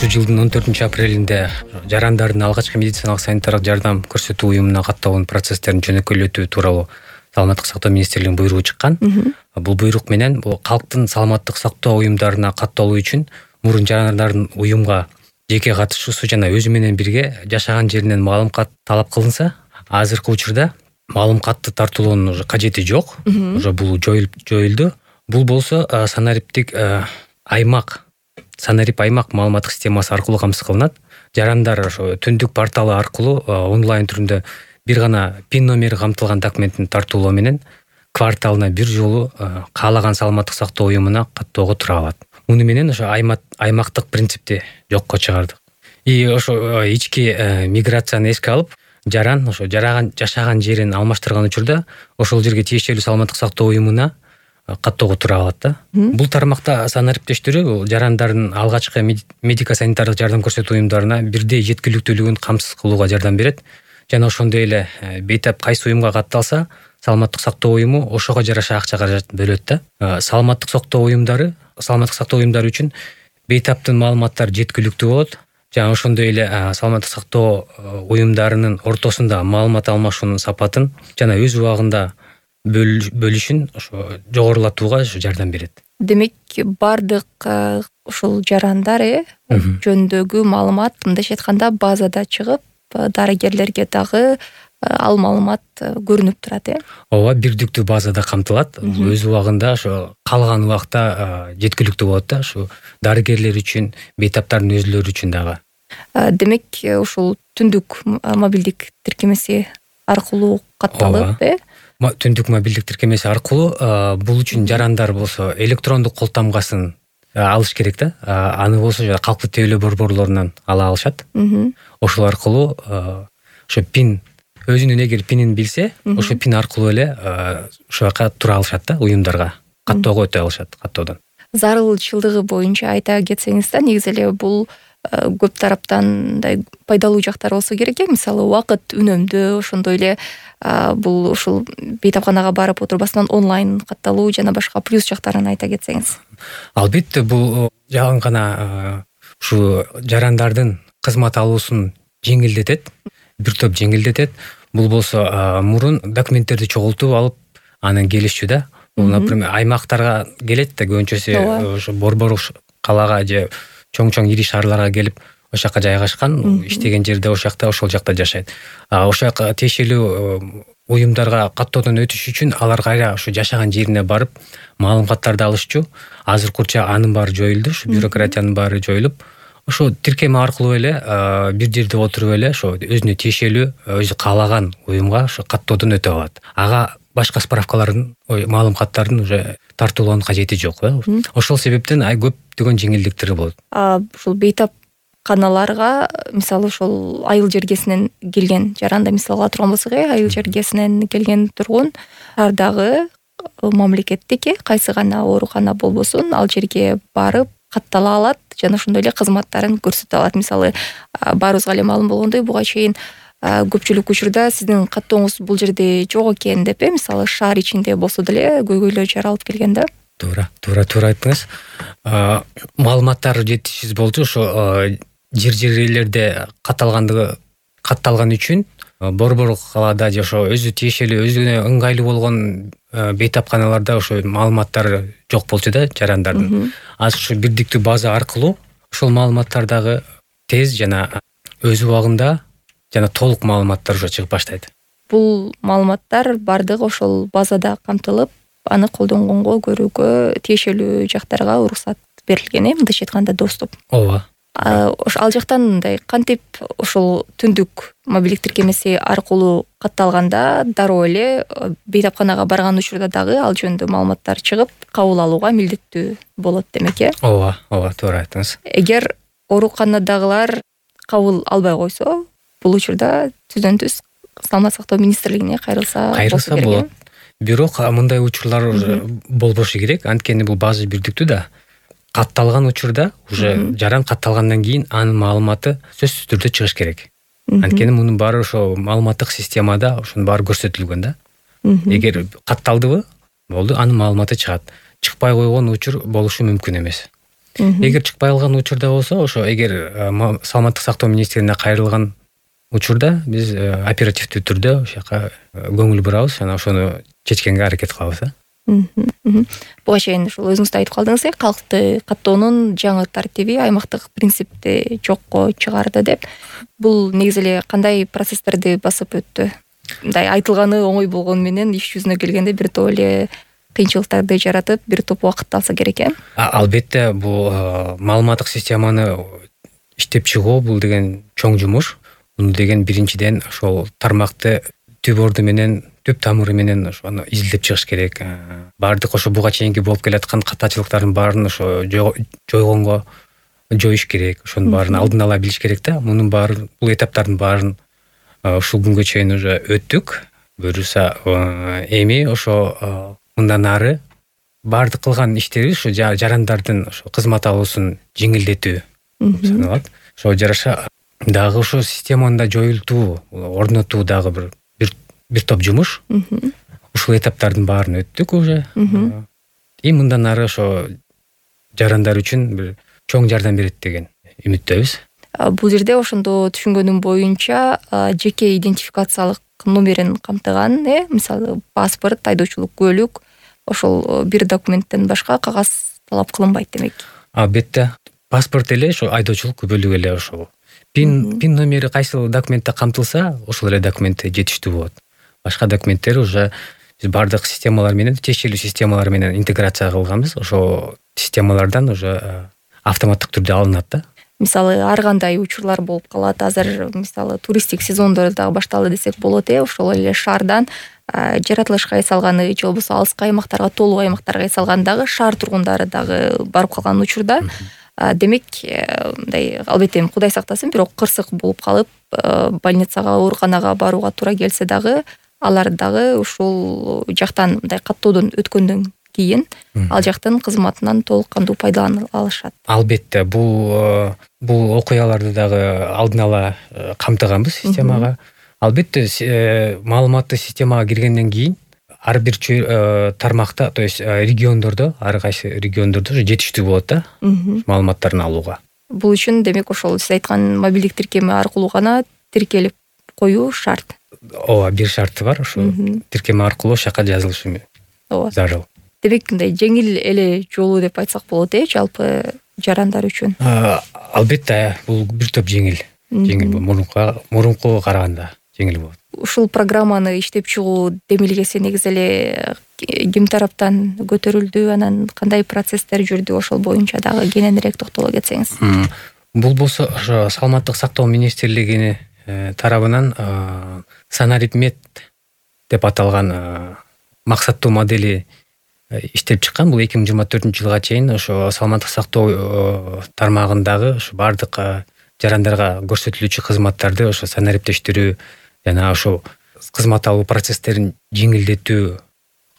жылдын 14-апрелинде жарандардын алгачкы медициналык санитардык жардам көрсөтүү уюмуна катталуу процесстерин жөнөкөйлөтүү тууралуу Саламаттык сактоо министрлигинин буйругу чыккан. Бул буйрук менен калктын саламаттык сактоо уюмдарына катталуу үчүн мурун жарандардын уюмга жеке катышуусу жана өзү менен бирге жашаган жеринен маалымат талап кылынса, азыркы учурда маалыматты тартуулоонун уже кажети жок. Уже бул жоюлду. Бул болсо санариптик санарип аймак маалыматтык системасы аркылуу камсыз кылынат. Жарандар ошо түндүк порталы аркылуу онлайн түрүндө бир гана пин номери камтылган документин тартуулоо менен кварталына бир жолу каалаган саламаттык сактоо уюмуна каттоого тура алат. Муну менен ошо аймактык принципти жокко чыгардык. Ошо ички миграцияны эске алып, жаран ошо жашаган жерин алмаштырган учурда ошол жерге тиешелүү саламаттык сактоо уюмуна каттоого тура алат да. Бул тармакта санариптештөрү жарандардын алгачкы медико-санитардык жардам көрсөтүү уюмдарына бирдей жеткиликтүүлүгүн камсыз кылууга жардам берет. Жана ошондой эле бейтап кайсы уюмга катталса, саламаттык сактоо уюму ошого жараша акча каражат бөлөт да. Саламаттык сактоо уюмдары үчүн бейтаптын маалыматтары жеткиликтүү болот. Жана ошондой эле саламаттык сактоо уюмдарынын ортосунда маалымат алмашуунун сапатын жана өз убагында бөлүшүн ошо жогорулатууга жардам берет. Демек, бардык ушул жарандар жөнүндөгү маалымат мындайча айтканда базада чыгып, дарыгерлерге дагы ал маалымат көрүнүп турат, Ооба, бирдиктүү базада камтылат. Өз убагында ошо калган убакта жеткиликтүү болот да, ошо дарыгерлер үчүн, бейтаптардын өзүлөрү үчүн дагы. Демек, ушул түндүк мобилдик тиркемеси аркылуу катталып, Түндүк мобилдик тиркемеси аркылуу бул үчүн жарандар болсо электрондук кол тамгасын алыш керек да. Аны болсо калктык тейлөө борборлорунан ала алышат. Ошол аркылуу ошо пин, өзүнүн эгер пинин билсе, ошо пин аркылуу эле ошол жака тура алышат да, уюмдарга каттоого өтө алышат, каттоодон. Зарылчылыгы боюнча айта кетсеңиз да, негизи эле бул көп тараптан мындай пайдалуу жактары болсо керек. Мисалы, убакыт үнөмдүү, ошондой эле бул ушул бейтапканага барып отурбастан онлайн катталуу жана башка плюс жактарын айта кетсеңиз. Албетте, бул жагын гана ушу жарандардын кызмат алуусун жеңилдетет, бир топ жеңилдетет. Бул болсо мурун документтерди чогултуп алып, анан келишчү да. Бул, например, аймактарга келет да, көбүнчөсү ошо борбор калаага же чоң ири шаарларга келип, ошол жака жайгашкан, иштеген жерде ошол жакта жашайт. Ошол жака тиешелүү уюмдарга каттоодон өтүш үчүн алар кайра ошо жашаган жерине барып маалыматтарды алышчу. Азыркы учурда анын баары жоюлду, ушу бюрократиянын баары жоюлуп, ошо тиркеме аркылуу эле бир жерде отуруп эле ошо өзүнө тиешелүү, өзү каалаган уюмга ошо каттоодон өтө алат. Ага башка справкалардын, маалыматтардын уже тартуулоонун кажети жок. Ошол себептен көптөгөн жеңилдиктери болот. Ушул бейтапканаларга, мисалы, ошол айыл жергесинен келген жаранда мисалга ала турган болсок, айыл жергесинен келген тургун шаардагы мамлекеттик кайсы гана оорукана болбосун, ал жерге барып каттала алат жана ошондой эле кызматтарын көрсөтө алат. Мисалы, баарыбызга эле маалым болгондой, буга чейин көпчүлүк учурда сиздин каттооңуз бул жерде жок экен деп, мисалы, шаар ичинде болсо деле көйгөйлөр жаралып келген да. Туура айттыңыз. Маалыматтар жетишсиз болчу. Ошо жерлерде катталган үчүн борбор калаада же ошо өзү тиешелүү, өзүнө ыңгайлуу болгон бейтапканаларда ошо маалыматтар жок болчу да, жарандардын. Азыр ушу бирдиктүү база аркылуу ошол маалыматтар дагы тез жана өз убагында жана толук маалыматтар уже чыгып баштайт. Бул маалыматтар бардыгы ошол базада камтылып, аны колдонгонго, көрүүгө тиешелүү жактарга уруксат берилген, мындайча айтканда доступ. Ооба. Ал жактан мындай кантип ошол түндүк мобилдик тиркемеси аркылуу катталганда дароо эле бейтапканага барган учурда дагы ал жөнүндө маалыматтар чыгып, кабыл алууга милдеттүү болот демек, Ооба, туура айттыңыз. Эгер ооруканадагылар кабыл албай койсо, бул учурда түздөн-түз Саламаттык сактоо министрлигине кайрылса болот. Бирок мындай учурлар болбошу керек, анткени бул база бирдиктүү да. Катталган учурда уже жаран катталгандан кийин анын маалыматы сөзсүз түрдө чыгыш керек. Анткени мунун баары ошо маалыматтык системада ошонун баары көрсөтүлгөн да. Эгер катталдыбы, болду, анын маалыматы чыгат. Чыкпай койгон учур болушу мүмкүн эмес. Эгер чыкпай калган учурда болсо, ошо эгер саламаттык сактоо министрлигине кайрылган учурда биз оперативдүү түрдө ошол жака көңүл бурабыз жана ошону чечкенге аракет кылабыз. Буга чейин ушул өзүңүз да айтып калдыңыз, калкты каттоонун жаңы тартиби аймактык принципти жокко чыгарды деп. Бул негизи эле кандай процесстерди басып өттү? Мындай айтылганы оңой болгону менен иш жүзүнө келгенде бир топ эле кыйынчылыктарды жаратып, бир топ убакытты алса керек. Албетте, бул маалыматтык системаны иштеп чыгуу бул деген чоң жумуш. Муну деген биринчиден ошол тармакты түп орду менен, түп тамыры менен ошону изилдеп чыгыш керек. Баардык ошо буга чейинки болуп келаткан катачылыктардын баарын ошо жойгонго жоюш керек. Ошонун баарын алдын ала билиш керек да. Мунун баарын, бул этаптардын баарын ушул күнгө чейин уже өттүк. Буюрса эми ошо мындан ары баардык кылган иштери ушу жарандардын ошо кызмат алуусун жеңилдетүү саналат. Ошо жараша дагы ошо системаны да жоюлтуу, орнотуу дагы бир топ жумуш. Ушул этаптардын баарын өттүк уже. И мындан ары ошо жарандар үчүн бир чоң жардам берет деген үмүттөбүз. Бул жерде ошондо түшүнгөнүм боюнча жеке идентификациялык номерин камтыган, мисалы паспорт, айдоочулук куәлүк, ошол бир документтен башка кагаз талап кылынбайт демек. Албетте, паспорт эле, ошо айдоочулук күбөлүк эле ошол. Пин номери кайсы документте камтылса, ошол эле документ жетиштүү болот. Башка документтер уже биз баардык системалар менен, тиешелүү системалар менен интеграция кылганбыз. Ошо системалардан уже автоматтык түрдө алынат да. Мисалы ар кандай учурлар болуп калат. Азыр мисалы туристтик сезондор дагы башталды десек болот. Ошол эле шаардан жаратылышка эс алганы же болбосо алыскы аймактарга, толук аймактарга эс алган дагы шаар тургундары дагы барып калган учурда. Демек, мындай албетте Кудай сактасын, бирок кырсык болуп калып, больницага, ооруканага барууга туура келсе дагы, алар дагы ушул жактан мындай каттоодон өткөндөн кийин ал жактын кызматынан толук кандуу пайдалана алышат. Албетте, бул окуяларды дагы алдын ала камтыганбыз системага. Албетте, маалыматтык системага киргенден кийин ар бир тармакта, то есть региондордо, ар кайсы региондордо жетиштүү болот да маалыматтарын алууга. Бул үчүн демек ошол сиз айткан мобилдик тиркеми аркылуу гана тиркелип коюу шарт. Ооба, бир шарты бар, ошо тиркеми аркылуу шака жазылышы зарыл. Демек, мындай жеңил эле жолу деп айтсак болот, жалпы жарандар үчүн. Албетте, бул бир топ жеңил мурункуга караганда жеңил болот. Ушул программаны иштеп чыгуу демилгеси негизи эле ким тараптан көтөрүлдү, анан кандай процесстер жүрдү, ошол боюнча дагы кененирээк токтоло кетсеңиз. Бул болсо ошо саламаттык сактоо министрлигини тарабынан санаритмет деп аталган максаттуу модели иштеп чыккан. Бул 2024-жылга чейин ошо саламаттык сактоо тармагындагы ошо баардык жарандарга көрсөтүлүүчү кызматтарды ошо санариптештирүү жана ошо кызмат алуу процесстерин жеңилдетүү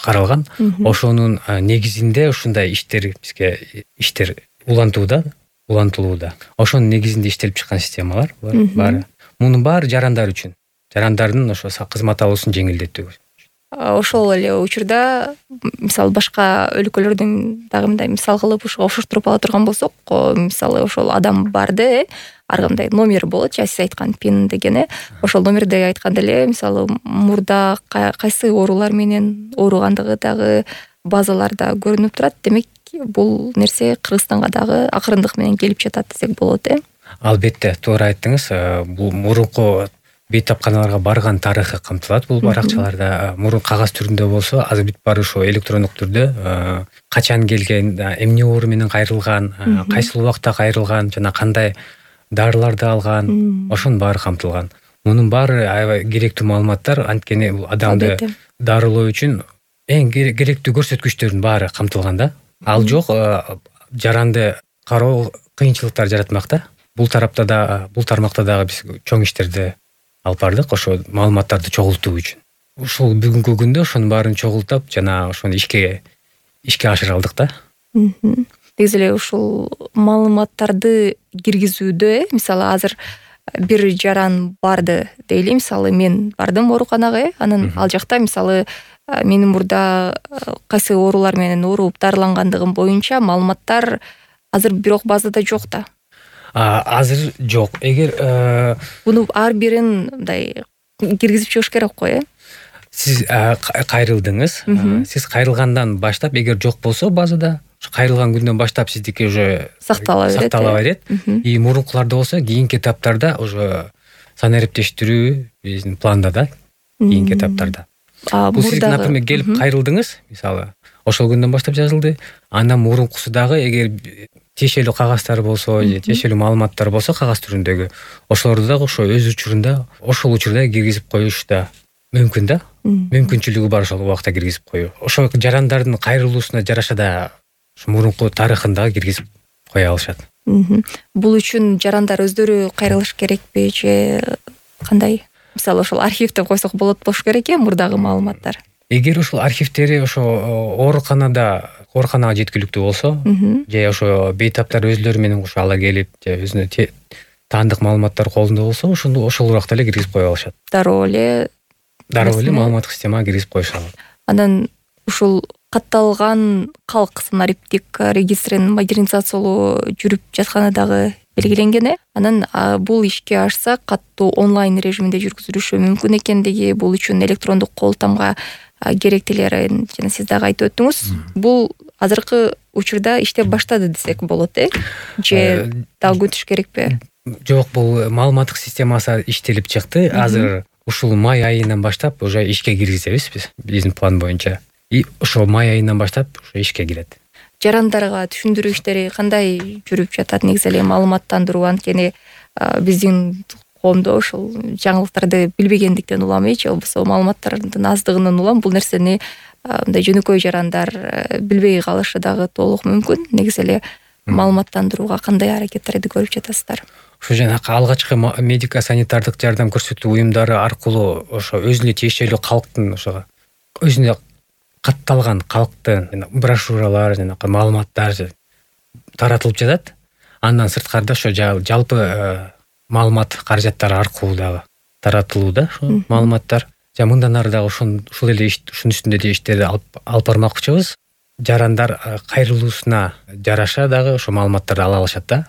каралган. Ошонун негизинде ушундай иштер улантылууда. Ошонун негизинде иштелип чыккан системалар баары. Мунун баары жарандар үчүн. Жарандардын ошо кызмат алуусун жеңилдетүү. Ошол эле учурда мисалы башка өлкөлөрдүн дагы мындай мисал кылып ушуга оштуруп ала турган болсок, мисалы ошол адам барды, ар кандай номер болот, сиз айткан пин деген. Ошол номерди айтканда эле мисалы мурда кайсы оорулар менен ооругандыгы дагы базаларда көрүнүп турат. Демек, бул нерсе Кыргызстанга дагы акырындык менен келип жатат десек болот. Албетте, туура айттыңыз. Бул мурунку бейтапканаларга барган тарыхы камтылат бул баракчаларда. Мурун кагаз түрүндө болсо, азыр бүт баары ошо электрондук түрдө качан келген, эмне оору менен кайрылган, кайсыл убакта кайрылган жана кандай дарыларды алган, ошонун баары камтылган. Мунун баары аябай керектүү маалыматтар, анткени бул адамды дарылоо үчүн эң керектүү көрсөткүчтөрдүн баары камтылган да. Ал жок, жаранды кароо кыйынчылыктар жаратмак да. Бул тармакта дагы биз чоң иштерди алып бардык, ошо маалыматтарды чогултуу үчүн. Ушул бүгүнкү күндө ошонун баарын чогултуп жана ошону ишке ашыра алдык да. Негизи эле ушул маалыматтарды киргизүүдө, мисалы азыр бир жаран барды дейли, мисалы мен бардым ооруканага, анан ал жакта мисалы менин мурда кайсы оорулар менен ооруп дарылангандыгым боюнча маалыматтар азыр бирок базада жок да. Азыр жок. Эгер Буну ар бирин мындай киргизип чыгыш керек го, сиз кайрылдыңыз. Сиз кайрылгандан баштап, эгер жок болсо базада, кайрылган күндөн баштап сиздики уже сактала берет. И мурункуларда болсо кийинки этаптарда уже санариптештирүү биздин планда да, кийинки этаптарда. Бул сиз, например, келип кайрылдыңыз, мисалы, ошол күндөн баштап жазылды. Андан мурункусу дагы эгер тиешелүү кагаздар болсо, же тиешелүү маалыматтар болсо кагаз түрүндөгү, ошолорду дагы ошо өз учурунда, ошол учурда киргизип коюш да мүмкүн да. Мүмкүнчүлүгү бар ошол убакта киргизип коюу. Ошо жарандардын кайрылуусуна жараша да мурунку тарыхын дагы киргизип кое алышат. Бул үчүн жарандар өздөрү кайрылыш керекпи же кандай? Мисалы, ошол архивде койсок болот болуш керек мурдагы маалыматтар. Эгер ошол архивдери ошо ооруканага жеткиликтүү болсо, же ошо бейтаптар өзлөрү менен кошо ала келип, же өзүнө таандык маалыматтар колунда болсо, ошол убакта эле киргизип кое алышат. Дароо эле маалыматтык системага киргизип коюшат. Анан ушул катталган калк санариптик регистрин модернизациялоо жүрүп жатканы дагы белгиленген. Анан бул ишке ашса катуу онлайн режиминде жүргүзүлүшү мүмкүн экендиги, бул үчүн электрондук кол тамга керектелерин жана сиз дагы айтып өттүңүз. Бул азыркы учурда иштеп баштады десек болот, же дагы күтүш керекпи? Жок, бул маалыматтык системасы иштелип чыкты. Азыр ушул май айынан баштап уже ишке киргизебиз биздин план боюнча. И ошол май айынан баштап уже ишке кирет. Жарандарга түшүндүрүү иштери кандай жүрүп жатат? Негизи эле маалыматтандыруу, анткени биздин коомдо ошол жаңылыктарды билбегендиктен улам, же болбосо маалыматтардын аздыгынан улам бул нерсени мындай жөнөкөй жарандар билбей калышы дагы толук мүмкүн. Негизи эле маалыматтандырууга кандай аракеттерди көрүп жатасыздар? Ошо жанакы алгачкы медико-санитардык жардам көрсөтүү уюмдары аркылуу ошо өзүнө тиешелүү калктын ошо өзүнө катталган калктын брошюралар, жанакы маалыматтар таратылып жатат. Андан сырткарда ошо жалпы маалымат каражаттары аркылуу дагы таратылууда ошо маалыматтар. Мындан ары дагы ушул эле ушунун үстүндө да иштерди алып бармакчыбыз. Жарандар кайрылуусуна жараша дагы ошо маалыматтарды ала алышат да.